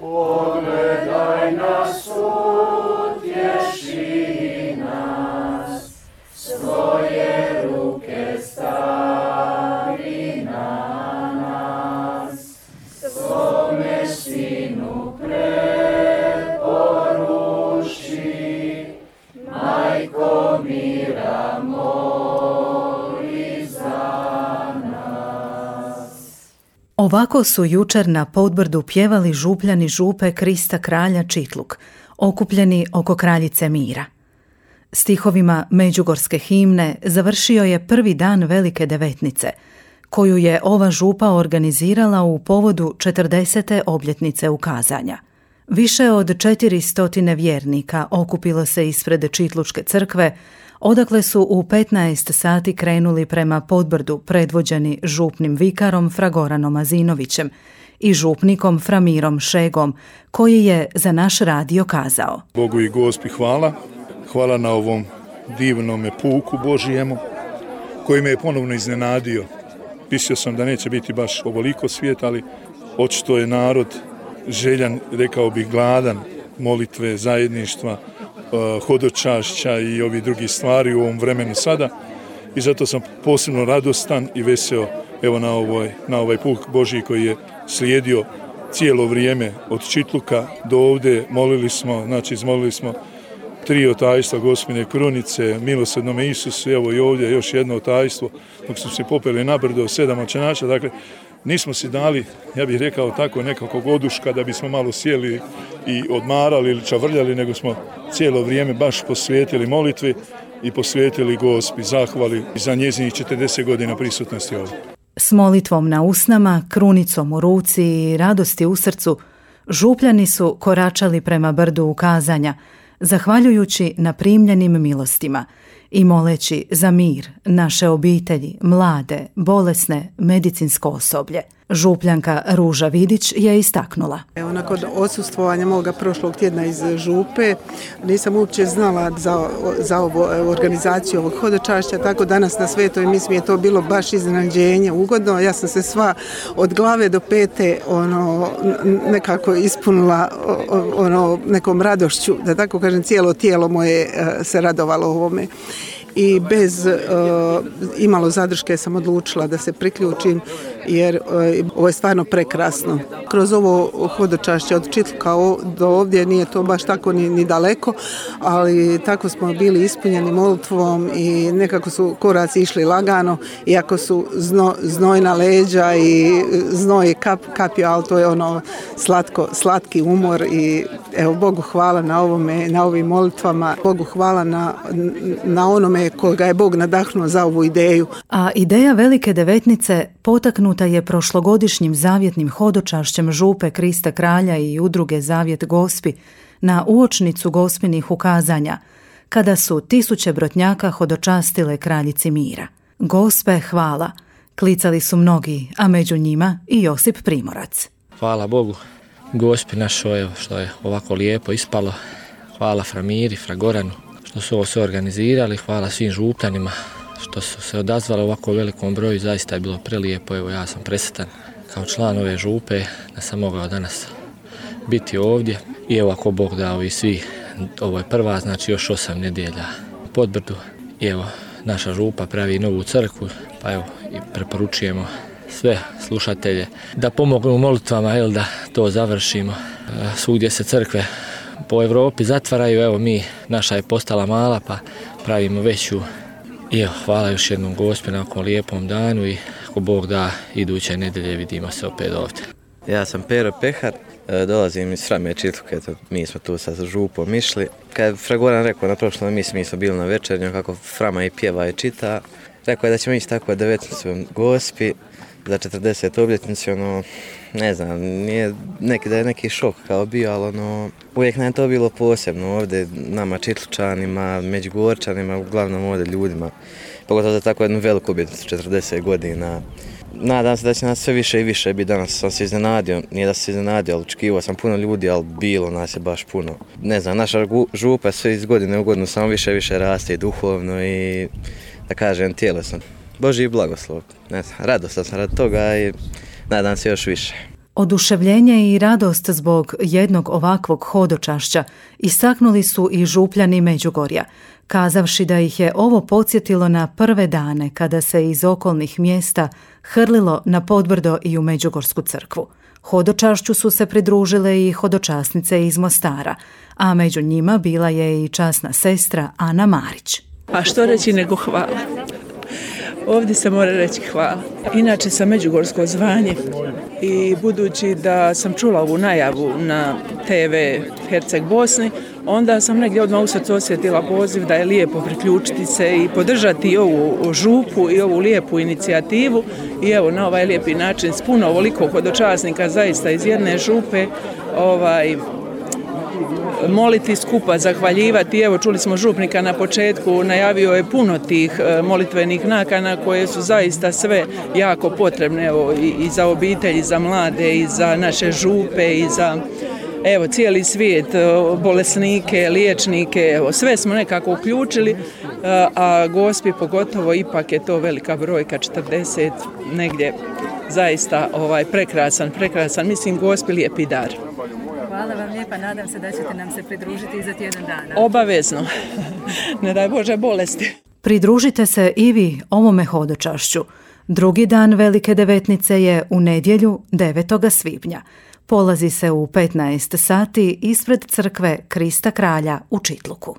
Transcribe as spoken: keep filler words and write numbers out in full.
Pogledaj nas, utješi nas, svoje ruke stavi na nas, svome sinu preporuči, majko mira moli za nas. Ovako su jučer na Podbrdu pjevali župljani župe Krista kralja Čitluk, okupljeni oko kraljice mira. Stihovima međugorske himne završio je prvi dan Velike devetnice, koju je ova župa organizirala u povodu četrdesete obljetnice ukazanja. Više od četiri stotine vjernika okupilo se ispred Čitlučke crkve, odakle su u petnaest sati krenuli prema Podbrdu predvođeni župnim vikarom Fragoranom Azinovićem i župnikom Framirom Šegom, koji je za naš radio kazao: Bogu i Gospi hvala, hvala na ovom divnome puku Božijemu, koji me je ponovno iznenadio. Mislio sam da neće biti baš ovoliko svijet, ali očito je narod željan, rekao bih gladan, molitve, zajedništva, hodočašća i ovi drugi stvari u ovom vremenu sada. I zato sam posebno radostan i veseo evo na, ovoj, na ovaj puk Božji koji je slijedio cijelo vrijeme od Čitluka do ovdje. Molili smo, znači izmolili smo tri otajstva Gospine krunice, milosrdnome Isusu, evo i ovdje još jedno otajstvo, dok smo se popeli na brdo, sedam očenača. Dakle, nismo si dali, ja bih rekao tako, nekakvog oduška da bismo malo sjeli i odmarali ili čavrljali, nego smo cijelo vrijeme baš posvetili molitvi i posvetili Gospi, zahvali za njezinih četrdeset godina prisutnosti ovdje. S molitvom na usnama, krunicom u ruci i radosti u srcu, župljani su koračali prema brdu ukazanja, zahvaljujući na primljenim milostima i moleći za mir, naše obitelji, mlade, bolesne, medicinsko osoblje. Župljanka Ruža Vidić je istaknula: Evo, nakon odsustvovanja moga prošlog tjedna iz župe, nisam uopće znala za, za ovo, organizaciju ovog hodočašća, tako danas na Svetoj mise mi je to bilo baš iznenađenje, ugodno. Ja sam se sva od glave do pete ono, nekako ispunila ono, nekom radošću, da tako kažem, cijelo tijelo moje se radovalo ovome. I bez uh, imalo zadrške sam odlučila da se priključim, jer uh, ovo je stvarno prekrasno. Kroz ovo hodočašće od Čitluka do ovdje nije to baš tako ni, ni daleko, ali tako smo bili ispunjeni molitvom i nekako su koraci išli lagano, iako su zno, znojna leđa i znoj kap, kapio, ali to je ono slatko, slatki umor i evo, Bogu hvala na ovome, na ovim molitvama, Bogu hvala na, na onome koga je Bog nadahnuo za ovu ideju. A ideja Velike devetnice potaknuta je prošlogodišnjim zavjetnim hodočašćem župe Krista kralja i udruge Zavjet Gospi na uočnicu Gospinih ukazanja, kada su tisuće brotnjaka hodočastile kraljici mira. Gospe hvala, klicali su mnogi, a među njima i Josip Primorac. Hvala Bogu, Gospi našoj što je ovako lijepo ispalo. Hvala Framiri, Fragoranu što su ovo sve organizirali, hvala svim župljanima što su se odazvali ovako velikom broju, zaista je bilo prelijepo. Evo, ja sam presretan kao član ove župe da sam mogao danas biti ovdje i evo, ako Bog dao i svi, ovo je prva, znači još osam nedjelja u Podbrdu i evo, naša župa pravi novu crkvu, pa evo i preporučujemo sve slušatelje da pomognu molitvama, jel, da to završimo. Svugdje se crkve po Europi zatvaraju, evo mi, naša je postala mala, pa pravimo veću. I evo, hvala još jednom Gospi na ovom lijepom danu i ako Bog da, iduće nedjelje vidimo se opet ovdje. Ja sam Pero Pehar, dolazim iz Frame Čitluke, mi smo tu sa župom išli. Kad je Fragoran rekao na prošloj misiji, mi smo bili na večernju, kako Frama i pjeva i čita, rekao je da ćemo ići tako devetnicu Gospi za četrdeset obljetnicu, ono, ne znam, nije neki, da je neki šok kao bio, ali ono, uvijek nam je to bilo posebno ovdje, nama Čitlučanima, Međugorčanima, uglavnom ovdje ljudima, pogotovo za tako jednu veliku obljetnicu, četrdeset godina. Nadam se da će nas sve više i više biti. Danas sam se iznenadio, nije da sam se iznenadio, ali očekivao sam puno ljudi, ali bilo nas je baš puno. Ne znam, naša župa sve iz godine u godinu samo više i više raste i duhovno i, da kažem, tjelesno. Božji blagoslov, ne znam, radostan sam radi toga i nadam se još više. Oduševljenje i radost zbog jednog ovakvog hodočašća istaknuli su i župljani Međugorja, kazavši da ih je ovo podsjetilo na prve dane kada se iz okolnih mjesta hrlilo na Podbrdo i u Međugorsku crkvu. Hodočašću su se pridružile i hodočasnice iz Mostara, a među njima bila je i časna sestra Ana Marić. A što reći nego hvala. Ovdje se mora reći hvala. Inače sam međugorsko zvanje i budući da sam čula ovu najavu na te ve Herceg Bosni, onda sam negdje odmah u srcu osjetila poziv da je lijepo priključiti se i podržati ovu župu i ovu lijepu inicijativu i evo na ovaj lijepi način s puno ovoliko hodočasnika zaista iz jedne župe ovaj, moliti skupa, zahvaljivati. Evo čuli smo župnika na početku, najavio je puno tih molitvenih nakana koje su zaista sve jako potrebne evo, i, i za obitelji, i za mlade, i za naše župe, i za evo, cijeli svijet, bolesnike, liječnike, evo, sve smo nekako uključili, a Gospi pogotovo ipak je to velika brojka, četrdeset negdje, zaista ovaj, prekrasan, prekrasan, mislim Gospi lijepi dar. Hvala vam lijepa, nadam se da ćete nam se pridružiti i za tjedan dana. Obavezno, ne daj Bože bolesti. Pridružite se i vi ovome hodočašću. Drugi dan Velike devetnice je u nedjelju devetog svibnja. Polazi se u petnaest sati ispred crkve Krista Kralja u Čitluku.